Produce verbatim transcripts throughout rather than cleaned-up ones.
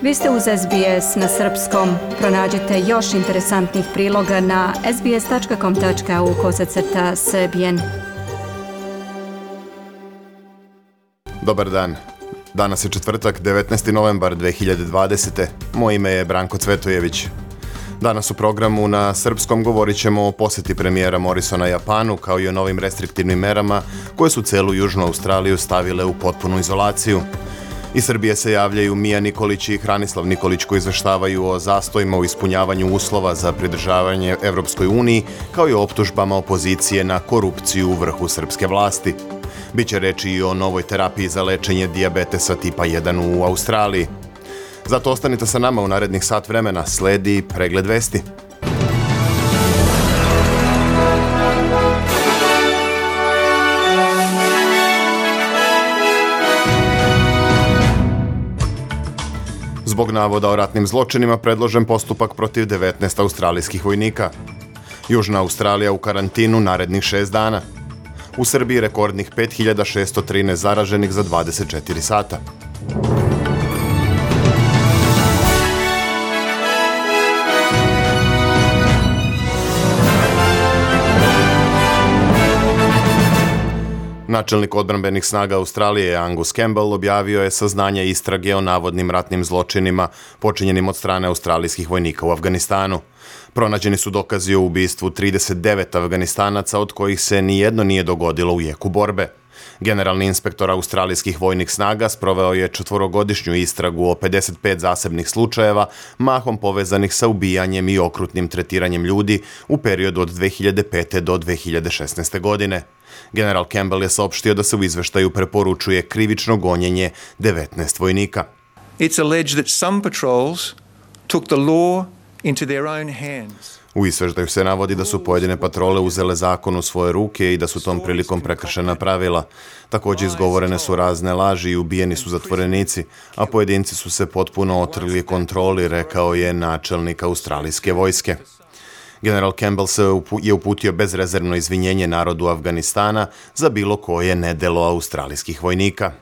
Vi ste uz S B S na srpskom. Pronađite još interesantnih priloga na sbs.com.au kosacrta srbijen. Dobar dan. Danas je četvrtak, devetnaesti novembar dve hiljade dvadesete. Moje ime je Branko Cvetojević. Danas u programu na srpskom govorit ćemo o posjeti premijera Morisona Japanu, kao i o novim restriktivnim merama koje su celu Južnu Australiju stavile u potpunu izolaciju. Iz Srbije se javljaju Mija Nikolić i Hranislav Nikolić koji izveštavaju o zastojima u ispunjavanju uslova za pridržavanje Evropskoj uniji, kao i o optužbama opozicije na korupciju u vrhu srpske vlasti. Biće reči i o novoj terapiji za lečenje dijabetesa tipa jedan u Australiji. Zato ostanite sa nama u narednih sat vremena, sledi pregled vesti. Zbog navoda o ratnim zločinima predložen postupak protiv devetnaest australijskih vojnika. Južna Australija u karantinu narednih šest dana. U Srbiji rekordnih pet hiljada šesto trinaest zaraženih za dvadeset četiri sata. Načelnik odbrambenih snaga Australije Angus Campbell objavio je saznanja istrage o navodnim ratnim zločinima počinjenim od strane australijskih vojnika u Afganistanu. Pronađeni su dokazi o ubistvu trideset devet Afganistanaca, od kojih se nijedno nije dogodilo u jeku borbe. Generalni inspektor australijskih vojnih snaga sproveo je četvorogodišnju istragu o pedeset pet zasebnih slučajeva, mahom povezanih sa ubijanjem i okrutnim tretiranjem ljudi u periodu od dve hiljade pete do dve hiljade šesnaeste. godine. General Campbell je saopštio da se u izveštaju preporučuje krivično gonjenje devetnaest vojnika. It's alleged that some patrols took the law into their own hands. U izveštaju se navodi da su pojedine patrole uzele zakon u svoje ruke i da su tom prilikom prekršena pravila. Također izgovorene su razne laži i ubijeni su zatvorenici, a pojedinci su se potpuno otrgli kontroli, rekao je načelnik australijske vojske. General Campbell se je uputio bezrezervno izvinjenje narodu Afganistana za bilo koje nedelo australijskih vojnika.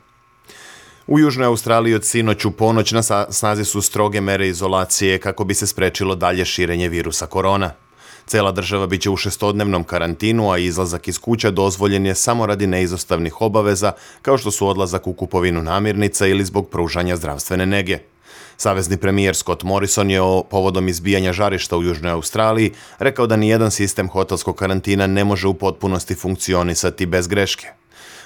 U Južnoj Australiji od sinoć u ponoć na snazi su stroge mere izolacije kako bi se sprečilo dalje širenje virusa korona. Cela država biće u šestodnevnom karantinu, a izlazak iz kuća dozvoljen je samo radi neizostavnih obaveza, kao što su odlazak u kupovinu namirnica ili zbog pružanja zdravstvene nege. Savezni premijer Scott Morrison je o povodom izbijanja žarišta u Južnoj Australiji rekao da nijedan sistem hotelskog karantina ne može u potpunosti funkcionisati bez greške.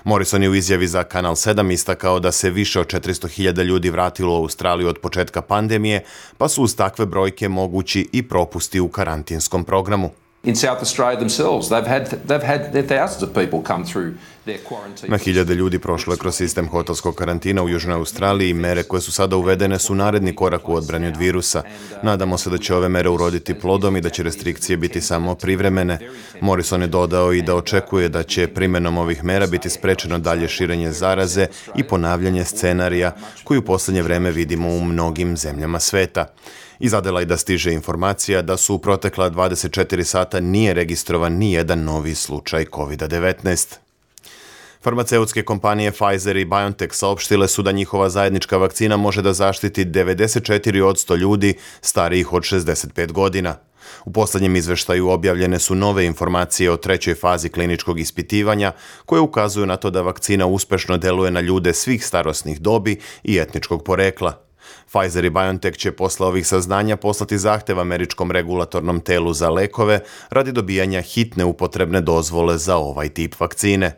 Morrison je u izjavi za Kanal sedam istakao da se više od četiristo hiljada ljudi vratilo u Australiju od početka pandemije, pa su uz takve brojke mogući i propusti u karantinskom programu. In South Australia themselves, they've had they've had thousands of people come through their quarantine. Na hiljade ljudi prošlo je kroz sistem hotelskog karantina u Južnoj Australiji i mere koje su sada uvedene su naredni korak u odbrani od virusa. Nadamo se da će ove mere uroditi plodom i da će restrikcije biti samo privremene. Morrison je dodao i da očekuje da će primjenom ovih mera biti sprečeno dalje širenje zaraze i ponavljanje scenarija koji u posljednje vreme vidimo u mnogim zemljama sveta. Iz Adelaida stiže informacija da su u protekla dvadeset četiri sata nije registrovan ni jedan novi slučaj kovid devetnaest. Farmaceutske kompanije Pfizer i BioNTech saopštile su da njihova zajednička vakcina može da zaštiti devedeset četiri posto ljudi starijih od šezdeset pet godina. U posljednjem izveštaju objavljene su nove informacije o trećoj fazi kliničkog ispitivanja koje ukazuju na to da vakcina uspešno deluje na ljude svih starosnih dobi i etničkog porekla. Pfizer i BioNTech će posle ovih saznanja poslati zahtev američkom regulatornom telu za lekove radi dobijanja hitne upotrebne dozvole za ovaj tip vakcine.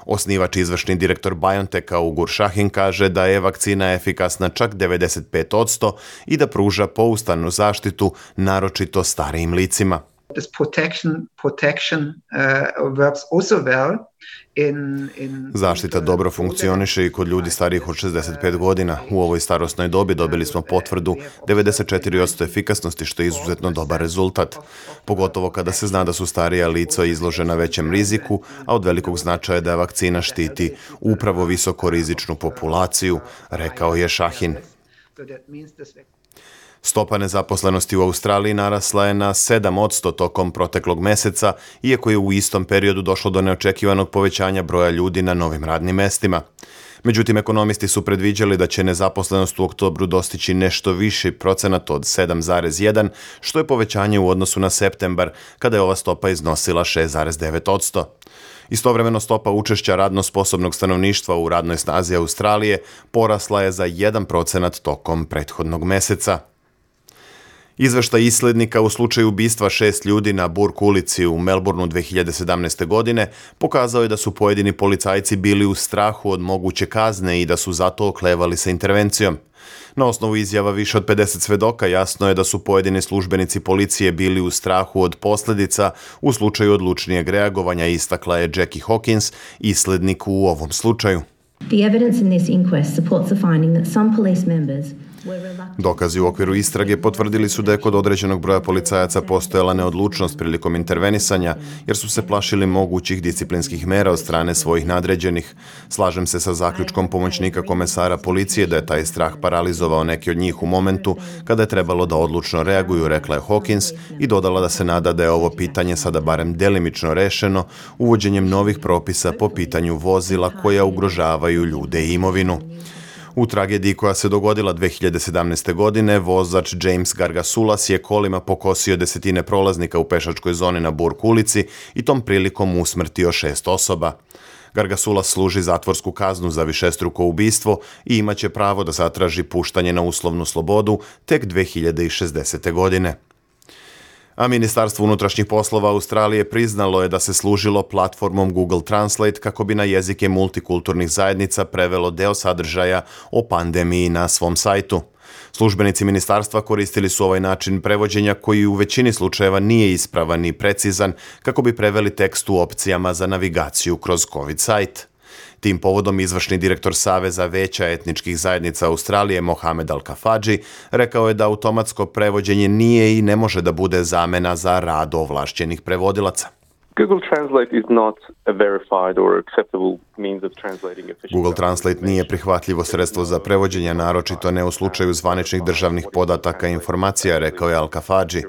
Osnivač i izvršni direktor BioNTecha Ugur Sahin kaže da je vakcina efikasna čak devedeset pet posto i da pruža pouzdanu zaštitu naročito starijim licima. This protection protection uh, works also well in in Zaštita dobro funkcioniše i kod ljudi starijih od šezdeset pet godina. U ovoj starosnoj dobi dobili smo potvrdu devedeset četiri posto efikasnosti, što je izuzetno dobar rezultat. Pogotovo kada se zna da su starija lica izložena većem riziku, a od velikog značaja da vakcina štiti upravo visokorizičnu populaciju, rekao je Sahin. Stopa nezaposlenosti u Australiji narasla je na sedam posto tokom proteklog meseca, iako je u istom periodu došlo do neočekivanog povećanja broja ljudi na novim radnim mestima. Međutim, ekonomisti su predviđali da će nezaposlenost u oktobru dostići nešto viši procenat od sedam zarez jedan, što je povećanje u odnosu na septembar, kada je ova stopa iznosila šest zarez devet posto. Istovremeno stopa učešća radno sposobnog stanovništva u radnoj snazi Australije porasla je za jedan procenat tokom prethodnog meseca. Izveštaj islednika u slučaju ubistva šest ljudi na Burke ulici u Melbourneu dve hiljade sedamnaeste. godine pokazao je da su pojedini policajci bili u strahu od moguće kazne i da su zato oklevali sa intervencijom. Na osnovu izjava više od pedeset svedoka jasno je da su pojedini službenici policije bili u strahu od posljedica u slučaju odlučnijeg reagovanja, istakla je Jackie Hawkins, islednik u ovom slučaju. The evidence in this inquest supports the finding that some police members Dokazi u okviru istrage potvrdili su da je kod određenog broja policajaca postojala neodlučnost prilikom intervenisanja, jer su se plašili mogućih disciplinskih mera od strane svojih nadređenih. Slažem se sa zaključkom pomoćnika komesara policije da je taj strah paralizovao neke od njih u momentu kada je trebalo da odlučno reaguju, rekla je Hawkins i dodala da se nada da je ovo pitanje sada barem delimično rešeno uvođenjem novih propisa po pitanju vozila koja ugrožavaju ljude i imovinu. U tragediji koja se dogodila dve hiljade sedamnaeste. godine, vozač James Gargasulas je kolima pokosio desetine prolaznika u pešačkoj zoni na Burke ulici i tom prilikom usmrtio šest osoba. Gargasulas služi zatvorsku kaznu za višestruko ubistvo i imaće pravo da zatraži puštanje na uslovnu slobodu tek dve hiljade šesdesete. godine. A Ministarstvo unutrašnjih poslova Australije priznalo je da se služilo platformom Google Translate kako bi na jezike multikulturnih zajednica prevelo deo sadržaja o pandemiji na svom sajtu. Službenici ministarstva koristili su ovaj način prevođenja koji u većini slučajeva nije ispravan i precizan kako bi preveli tekst u opcijama za navigaciju kroz COVID sajt. Tim povodom izvršni direktor Saveza veća etničkih zajednica Australije Mohamed Al-Kafadži rekao je da automatsko prevođenje nije i ne može da bude zamena za rad ovlašćenih prevodilaca. Google Translate is not a verified or acceptable means of translating official. Google Translate nije prihvatljivo sredstvo za prevođenje, naročito ne u slučaju zvaničnih državnih podataka i informacija, rekao je Al-Kafadži.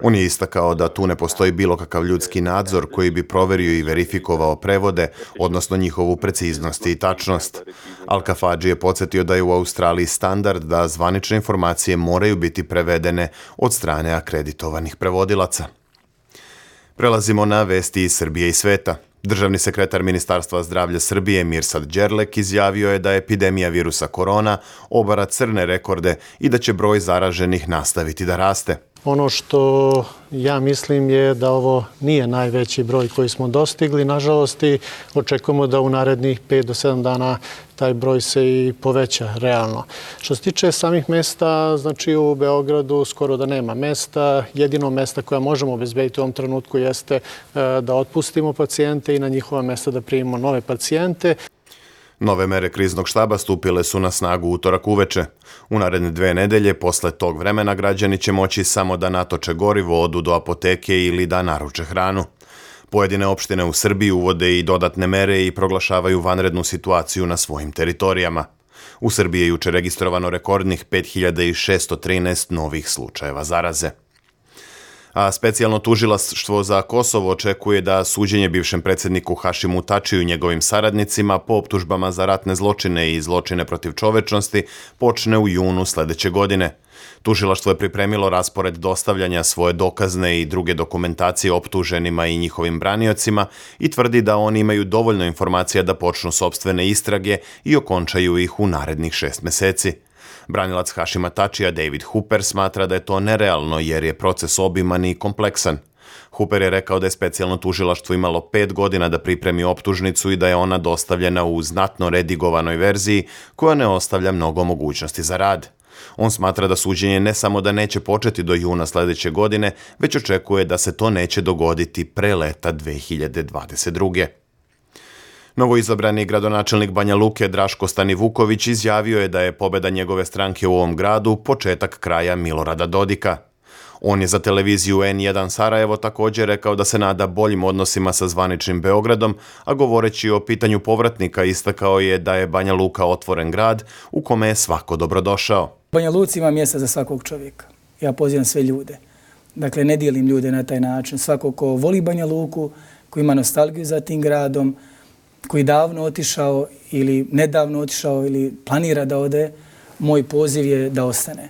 On je istakao da tu ne postoji bilo kakav ljudski nadzor koji bi proverio i verifikovao prevode, odnosno njihovu preciznost i tačnost. Al-Kafadži je podsjetio da je u Australiji standard da zvanične informacije moraju biti prevedene od strane akreditovanih prevodilaca. Prelazimo na vesti iz Srbije i sveta. Državni sekretar Ministarstva zdravlja Srbije Mirsad Đerlek izjavio je da epidemija virusa korona obara crne rekorde i da će broj zaraženih nastaviti da raste. Ono što ja mislim je da ovo nije najveći broj koji smo dostigli. Nažalost, i očekujemo da u narednih pet do sedam dana taj broj se i poveća realno. Što se tiče samih mesta, znači u Beogradu skoro da nema mesta. Jedino mesta koja možemo obezbediti u ovom trenutku jeste da otpustimo pacijente i na njihova mesta da primimo nove pacijente. Nove mere kriznog štaba stupile su na snagu utorak uveče. U naredne dve nedelje, posle tog vremena, građani će moći samo da natoče gorivo, odu do apoteke ili da naruče hranu. Pojedine opštine u Srbiji uvode i dodatne mere i proglašavaju vanrednu situaciju na svojim teritorijama. U Srbiji je juče registrovano rekordnih pet hiljada šesto trinaest novih slučajeva zaraze. A specijalno tužilaštvo za Kosovo očekuje da suđenje bivšem predsjedniku Hašimu Tačiju i njegovim saradnicima po optužbama za ratne zločine i zločine protiv čovečnosti počne u junu sledeće godine. Tužilaštvo je pripremilo raspored dostavljanja svoje dokazne i druge dokumentacije optuženima i njihovim braniocima i tvrdi da oni imaju dovoljno informacija da počnu sopstvene istrage i okončaju ih u narednih šest meseci. Branilac Hašima Tačija David Hooper smatra da je to nerealno jer je proces obiman i kompleksan. Hooper je rekao da je specijalno tužilaštvo imalo pet godina da pripremi optužnicu i da je ona dostavljena u znatno redigovanoj verziji koja ne ostavlja mnogo mogućnosti za rad. On smatra da suđenje ne samo da neće početi do juna sledeće godine, već očekuje da se to neće dogoditi pre leta dve hiljade dvadeset druge. Novoizabrani gradonačelnik Banja Luke Draško Stanivuković izjavio je da je pobeda njegove stranke u ovom gradu početak kraja Milorada Dodika. On je za televiziju en jedan Sarajevo također rekao da se nada boljim odnosima sa zvaničnim Beogradom, a govoreći o pitanju povratnika istakao je da je Banja Luka otvoren grad u kome je svako dobrodošao. Banja Luci ima mjesta za svakog čovjeka. Ja pozivam sve ljude. Dakle, ne dijelim ljude na taj način. Svako ko voli Banja Luku, ko ima nostalgiju za tim gradom, koji davno otišao ili nedavno otišao ili planira da ode, moj poziv je da ostane.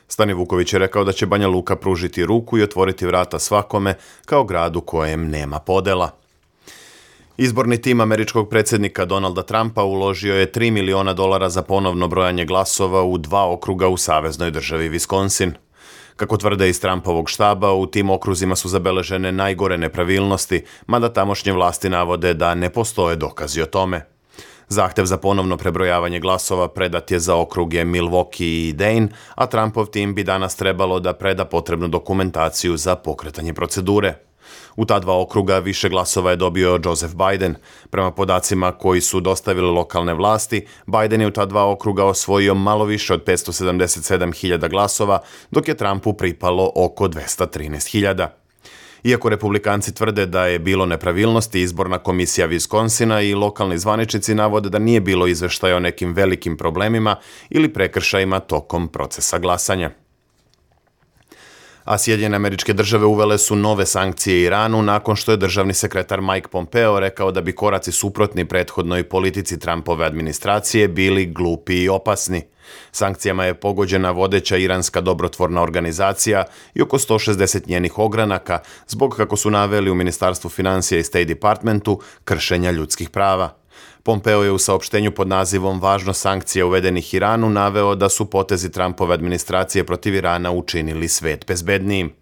Stani Vuković je rekao da će Banja Luka pružiti ruku i otvoriti vrata svakome kao gradu kojem nema podela. Izborni tim američkog predsjednika Donalda Trumpa uložio je tri miliona dolara za ponovno brojanje glasova u dva okruga u saveznoj državi Wisconsin. Kako tvrde iz Trumpovog štaba, u tim okruzima su zabeležene najgore nepravilnosti, mada tamošnje vlasti navode da ne postoje dokazi o tome. Zahtev za ponovno prebrojavanje glasova predat je za okruge Milwaukee i Dane, a Trumpov tim bi danas trebalo da preda potrebnu dokumentaciju za pokretanje procedure. U ta dva okruga više glasova je dobio Joseph Biden. Prema podacima koji su dostavili lokalne vlasti, Biden je u ta dva okruga osvojio malo više od petsto sedamdeset sedam hiljada glasova, dok je Trumpu pripalo oko dvesta trinaest hiljada. Iako republikanci tvrde da je bilo nepravilnosti, izborna komisija Wisconsina i lokalni zvaničnici navode da nije bilo izveštaja o nekim velikim problemima ili prekršajima tokom procesa glasanja. A Sjedinjene Američke Države uvele su nove sankcije Iranu nakon što je državni sekretar Mike Pompeo rekao da bi koraci suprotni prethodnoj politici Trumpove administracije bili glupi i opasni. Sankcijama je pogođena vodeća iranska dobrotvorna organizacija i oko sto šezdeset njenih ogranaka zbog, kako su naveli u Ministarstvu financija i State Departmentu, kršenja ljudskih prava. Pompeo je u saopštenju pod nazivom Važnost sankcija uvedenih Iranu naveo da su potezi Trumpove administracije protiv Irana učinili svet bezbednijim.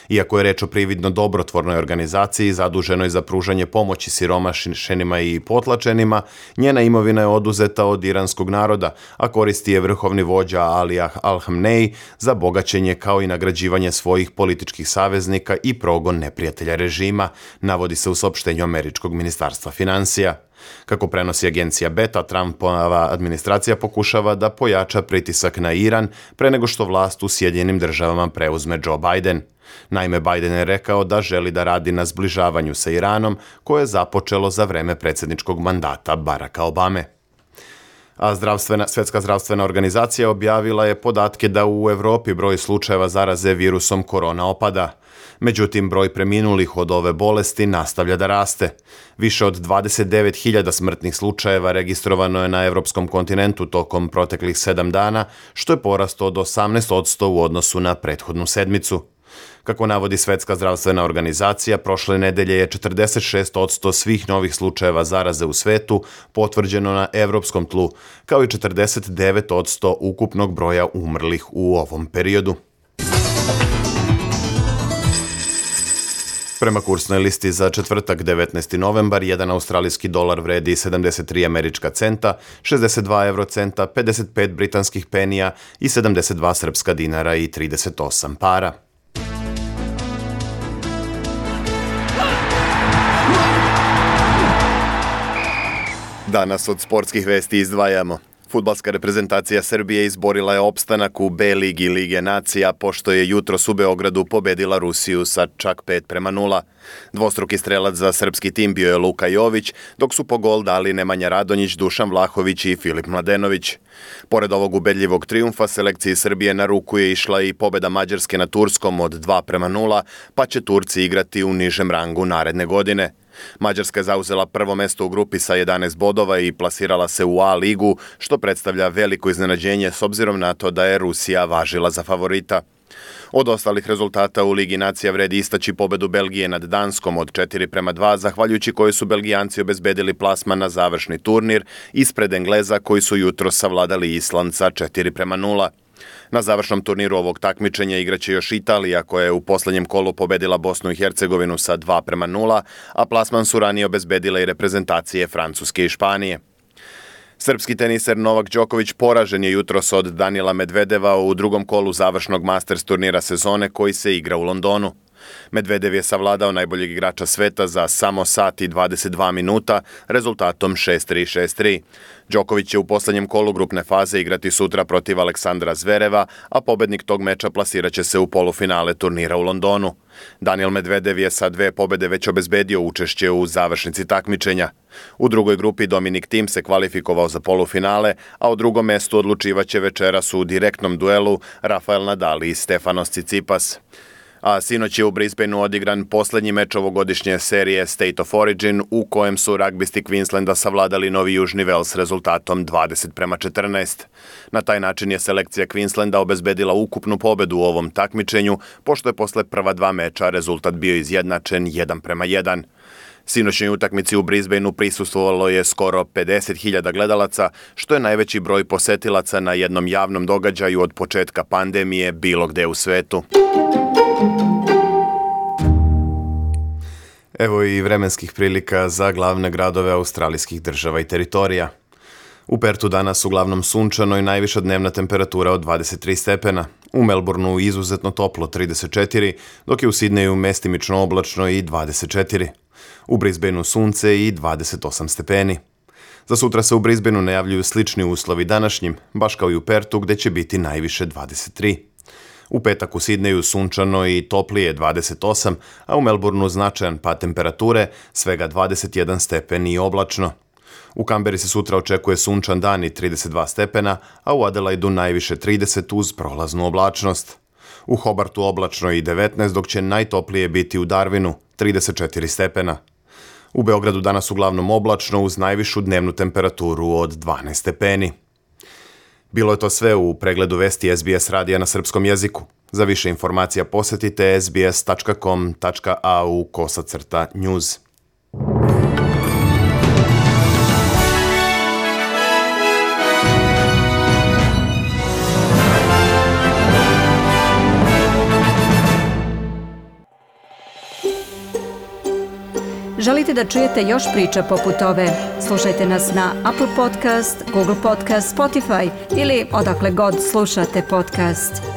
Iako je reč o prividno dobrotvornoj organizaciji zaduženoj za pružanje pomoći siromašenima i potlačenima, njena imovina je oduzeta od iranskog naroda, a koristi je vrhovni vođa Ali Al-Hamnej za bogaćenje kao i nagrađivanje svojih političkih saveznika i progon neprijatelja režima, navodi se u saopštenju američkog ministarstva financija. Kako prenosi agencija Beta, Trumpova administracija pokušava da pojača pritisak na Iran pre nego što vlast u Sjedinjenim Državama preuzme Joe Biden. Naime, Biden je rekao da želi da radi na zbližavanju sa Iranom, koje je započelo za vreme predsjedničkog mandata Baracka Obame. A zdravstvena, Svjetska zdravstvena organizacija objavila je podatke da u Evropi broj slučajeva zaraze virusom korona opada. Međutim, broj preminulih od ove bolesti nastavlja da raste. Više od dvadeset devet hiljada smrtnih slučajeva registrovano je na evropskom kontinentu tokom proteklih sedam dana, što je porast od osamnaest posto u odnosu na prethodnu sedmicu. Kako navodi Svjetska zdravstvena organizacija, prošle nedelje je četrdeset šest posto svih novih slučajeva zaraze u svetu potvrđeno na evropskom tlu, kao i četrdeset devet posto ukupnog broja umrlih u ovom periodu. Prema kursnoj listi za četvrtak devetnaesti novembar, jedan australijski dolar vredi sedamdeset tri američka centa, šezdeset dva eurocenta, pedeset pet britanskih penija i sedamdeset dva srpska dinara i trideset osam para. Danas od sportskih vesti izdvajamo. Fudbalska reprezentacija Srbije izborila je opstanak u B ligi Lige nacija, pošto je jutros u Beogradu pobedila Rusiju sa čak pet prema nula. Dvostruki strelac za srpski tim bio je Luka Jović, dok su po gol dali Nemanja Radonjić, Dušan Vlahović i Filip Mladenović. Pored ovog ubedljivog trijumfa, selekciji Srbije na ruku je išla i pobeda Mađarske na Turskom od dva prema nula, pa će Turci igrati u nižem rangu naredne godine. Mađarska je zauzela prvo mesto u grupi sa jedanaest bodova i plasirala se u A ligu, što predstavlja veliko iznenađenje s obzirom na to da je Rusija važila za favorita. Od ostalih rezultata u Ligi nacija vredi istaći pobedu Belgije nad Danskom od četiri prema dva, zahvaljujući kojoj su Belgijanci obezbedili plasman na završni turnir ispred Engleza koji su jutros savladali Island sa četiri prema nula. Na završnom turniru ovog takmičenja igraće još Italija, koja je u posljednjem kolu pobedila Bosnu i Hercegovinu sa dva prema nula, a plasman su ranije obezbedile i reprezentacije Francuske i Španije. Srpski teniser Novak Đoković poražen je jutros od Danila Medvedeva u drugom kolu završnog Masters turnira sezone koji se igra u Londonu. Medvedev je savladao najboljeg igrača sveta za samo sat i dvadeset dva minuta rezultatom šest tri šest tri. Đoković će u posljednjem kolu grupne faze igrati sutra protiv Aleksandra Zvereva, a pobednik tog meča plasiraće se u polufinale turnira u Londonu. Daniil Medvedev je sa dve pobede već obezbedio učešće u završnici takmičenja. U drugoj grupi Dominik Thiem se kvalifikovao za polufinale, a o drugom mestu odlučivaće večeras u direktnom duelu Rafael Nadal i Stefanos Tsitsipas. A sinoć je u Brisbaneu odigran posljednji meč ovogodišnje serije State of Origin u kojem su ragbisti Queenslanda savladali Novi Južni Vels rezultatom dvadeset prema četrnaest. Na taj način je selekcija Queenslanda obezbedila ukupnu pobedu u ovom takmičenju, pošto je posle prva dva meča rezultat bio izjednačen jedan prema jedan. Sinoćnjoj utakmici u Brisbaneu prisustvovalo je skoro pedeset hiljada gledalaca, što je najveći broj posetilaca na jednom javnom događaju od početka pandemije bilo gde u svetu. Evo i vremenskih prilika za glavne gradove australijskih država i teritorija. U Pertu danas uglavnom sunčano i najviša dnevna temperatura od dvadeset tri stepena. U Melbourneu izuzetno toplo trideset četiri, dok je u Sidneju mestimično oblačno i dvadeset četiri. U Brisbaneu sunce i dvadeset osam stepeni. Za sutra se u Brisbaneu najavljuju slični uslovi današnjim, baš kao i u Pertu gde će biti najviše dvadeset tri. U petak u Sidneju sunčano i toplije dvadeset osam, a u Melbourneu značajan pad temperature, svega dvadeset jedan stepen i oblačno. U Kamberi se sutra očekuje sunčan dan i trideset dva stepena, a u Adelaidu najviše trideset uz prolaznu oblačnost. U Hobartu oblačno i devetnaest, dok će najtoplije biti u Darwinu, trideset četiri stepena. U Beogradu danas uglavnom oblačno uz najvišu dnevnu temperaturu od dvanaest stepeni. Bilo je to sve u pregledu vesti S B S radija na srpskom jeziku. Za više informacija posetite s b s tačka com tačka a u kosacrta news. Želite da čujete još priča poput ove? Slušajte nas na Apple Podcast, Google Podcast, Spotify ili odakle god slušate podcast.